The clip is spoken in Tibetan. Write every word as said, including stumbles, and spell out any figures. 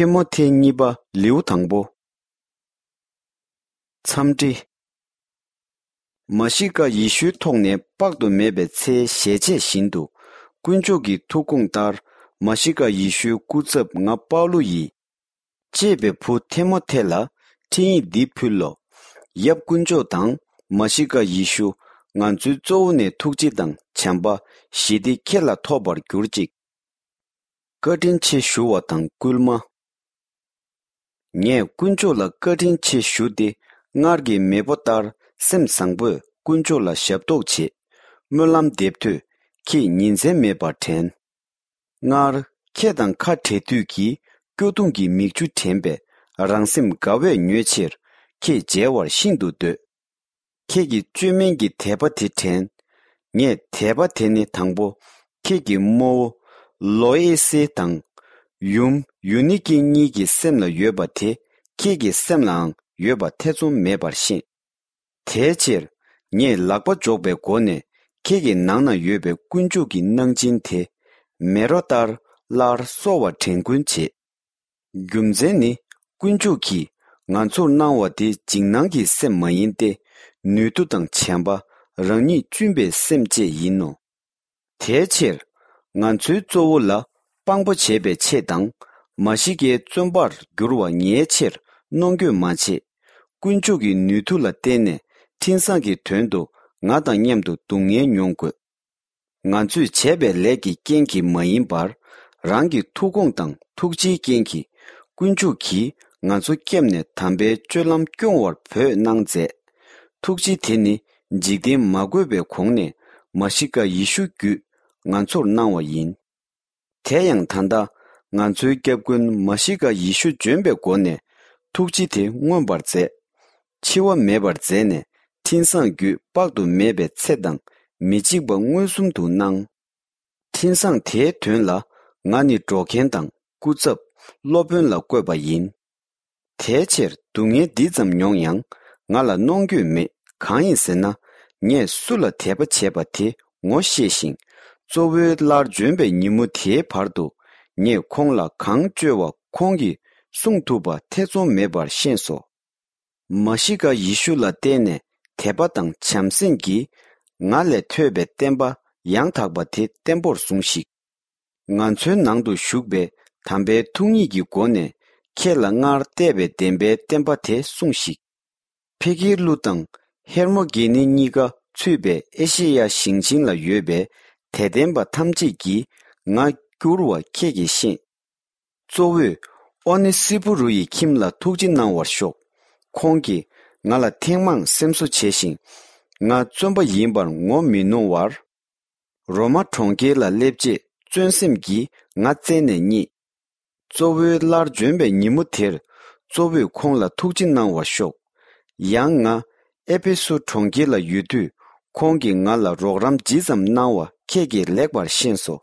ཐི་མོ་ཐེ་གཉིས་པ་ལེའུ་དང་པོ། འཚམས་འདྲི། མཱ་ཤི་ཀ་ཡེ་ཤུའི་ཐོག་ནས་དཔག་ཏུ་མེད་པའི་ཚེའི་ཞལ་ཆད་བཞིན་དུ། དཀོན་མཆོག་གི་ཐུགས་དགོངས་ལྟར། མཱ་ཤི་ཀ་ཡེ་ཤུའི་སྐུ་ཚབ་ང་པའུ་ལུ་ཡིས། གཅེས་པའི་བུ་ཐེ་མོ་ཐེ་ལ་འཕྲིན་ཡིག་འདི་ཕུལ་ལོ། ཡབ་དཀོན་མཆོག་དང་མཱ་ཤི་ཀ་ཡེ་ཤུ། ང་ཚོའི་གཙོ་བོ་ནས་ཐུགས་རྗེ་དང་བྱམས་པ་ཞི་བདེ་ཁྱེད་ལ་ཐོབ་པར་གྱུར་ཅིག། བཀའ་དྲིན་ཆེ་ཞུ་བ་དང་སྐུལ་མ། ངས་དཀོན་མཆོག་ལ་བཀའ་དྲིན་ཆེ་ཞུ་སྟེ། སྔར་གྱི་མེས་པོ་ལྟར་སེམས་བཟང་པོས་དཀོན་མཆོག་ལ་ཞབས་ཏོག་བྱེད། སྨོན་ལམ་འདེབས་དུས་ཁྱེད་ཉིན་མཚན་མེད་པར་དྲན། སྔར་ཁྱེད་དང་ཁ་བྲལ་དུས་ཀྱི་སྐྱོ་གདུང་གི་མིག་ཆུ་དྲན་པས། རང་སེམས་དགའ་བས་མྱོས་ཕྱིར་ཁྱེད་མཇལ་བར་ཤིན་ཏུ་འདོད། ཁྱེད་ཀྱི་བཅོས་མིན་གྱི་དད་པ་དེ་དྲན། ངས་དད་པ་དེ་ནི་དང་པོ་ཁྱེད་ཀྱི་རྨོ་བོ་ལོ་ཨེ་སེ་དང་ཡུམ་ཡུ་ནི་ཀེ་གཉིས་ཀྱི་སེམས་ལ་ཡོད་པ་དེ་ཁྱེད་ཀྱི་སེམས་ལའང་ཡོད་པ་ཐེ་ཚོམ་མེད་པར་ཤེས། དེའི་ཕྱིར་ངས་ལག་པ་འཇོག་པའི་སྒོ་ནས་ཁྱེད་ཀྱི་ནང་ན་ཡོད་པའི་དཀོན་མཆོག་གི་གནང་སྦྱིན་དེ་མེ་རོ་ལྟར་སླར་གསོ་བར་དྲན་སྐུལ་བྱེད། རྒྱུ་མཚན་ནི། དཀོན་མཆོག་གིས་ང་ཚོར་གནང་བ་དེ་འཇིགས་སྣང་གི་སེམས་མ་ཡིན་ཏེ། ནུས་མཐུ་དང་བྱམས་པ། རང་ཉིད་གཅུན་པའི་སེམས་བཅས་ཡིན་ནོ། དེའི་ཕྱིར། ང་ཚོའི་གཙོ་བོ་ལ་དཔང་པོ་བྱེད་པའི་ཆེད་དང་། མཱ་ཤི་ཀའི་བཙོན་པར་འགྱུར་བ་ངའི་ཕྱིར་གནོང་འགྱོད་མ་བྱེད། དཀོན་མཆོག་གི་ནུས་མཐུ་ལ་བརྟེན་ནས་འཕྲིན་བཟང་གི་དོན་དུ་ང་དང་མཉམ་དུ་སྡུག་བསྔལ་མྱོང་དགོས། ང་ཚོས་བྱས་པའི་ལས་ཀྱི་རྐྱེན་གྱིས་མ་ཡིན་པར། རང་གི་ཐུགས་དགོངས་དང་ཐུགས་རྗེའི་རྐྱེན་གྱིས། དཀོན་མཆོག་གིས་ང་ཚོ་བསྐྱབས་ནས་དམ་པའི་སྤྱོད་ལམ་སྐྱོང་བར་བོས་གནང་མཛད། ཐུགས་རྗེ་དེ་ནི་འཇིག་རྟེན་མ་བཀོད་པའི་གོང་ནས་མཱ་ཤི་ཀ་ཡེ་ཤུ་བརྒྱུད་ང་ཚོར་གནང་བ་ཡིན། དེ་ཡང་ད་ལྟ་ང་ཚོའི་སྐྱབས་མགོན་མཱ་ཤི་ཀ་ཡེ་ཤུ་འབྱོན་པའི་སྒོ་ནས་ཐུགས་རྗེ་དེ་མངོན་པར་མཛད། འཆི་བ་མེད་པར་མཛད་ནས་འཕྲིན་བཟང་བརྒྱུད་དཔག་ཏུ་མེད་པའི་ཚེ་དང་མི་འཇིགས་པ་མངོན་སུམ་དུ་གནང་། འཕྲིན་བཟང་དེའི་དོན་ལ་ང་ནི་སྒྲོག་མཁན་དང་སྐུ་ཚབ་སློབ་དཔོན་ལ་བསྐོས་པ་ཡིན། དེའི་ཕྱིར་སྡུག་བསྔལ་འདི་ཙམ་མྱོང་ཡང་ང་ལ་གནོང་འགྱོད་མེད། གང་ཡིན་ཟེར་ན། ངས་སུ་ལ་དད་པ་བྱས་པ་དེ་ངོ་ཤེས་ཤིང་། གཙོ་བོའི་སླར་འབྱོན་པའི་ཉིན་མོ་དེའི་བར་དུ་ངས་ཁོང་ལ་གང་བཅོལ་བ་ཁོང་གིས་སྲུང་ཐུབ་པ་ཐེ་ཚོམ་མེད་པར་ཤེས་སོ། མཱ་ཤི་ཀ་ཡེ་ཤུ་ལ་བརྟེན་ནས་དད་པ་དང་བྱམས་སེམས་ཀྱིས་ང་ལས་ཐོས་པའི་བསྟན་པ་ཡང་དག་པ་དེ་བརྟན་པོར་ཟུངས་ཤིག། ང་ཚོའི་ནང་དུ་བཞུགས་པའི་དམ་པའི་ཐུགས་ཉིད་ཀྱི་སྒོ་ནས་ཁྱེད་ལ་སྔར་གཏད་པའི་བདེན་པའི་བསྟན་པ་དེ་སྲུངས་ཤིག། ཕེ་གྷི་ལུ་དང་ཧེར་མོ་གེ་ནི་གཉིས་ཀ་ཚུད་པའི་ཨེ་ཤེ་ཡ་ཞིང་ཆེན་ལ་ཡོད་པའི་དད་ལྡན་པ་ཐམས་ཅད་ཀྱིས་ང་བསྐྱུར་བ་ཁྱེད་ཀྱིས་ཤེས། གཙོ་བོས་ཨོ་ནེ་སི་ཕུ་རུ་ཡི་ཁྱིམ་ལ་ཐུགས་རྗེ་གནང་བར་ཤོག། ཁོང་གིས་ང་ལ་ཐེངས་མང་སེམས་གསོ་བྱས་ཤིང་། ང་བཙོན་པ་ཡིན་པར་ངོ་མི་གནོང་བར། རོ་མ་གྲོང་ཁྱེར་ལ་སླེབས་རྗེས་བརྩོན་སེམས་ཀྱིས་ང་བཙལ་ནས་རྙེད། གཙོ་བོའི་སླར་འབྱོན་པའི་ཉིན་མོ་དེར་གཙོ་བོས་ཁོང་ལ་ཐུགས་རྗེ་གནང་བར་ཤོག། ཡང་ང་ཨེ་ཕེ་སུ་གྲོང་ཁྱེར་ལ་ཡོད་དུས་ཁོང་གིས་ང་ལ་རོགས་རམ་ཇི་ཙམ་གནང་བ་ཁྱེད་ཀྱིས་ལེགས་པར་ཤེས་སོ།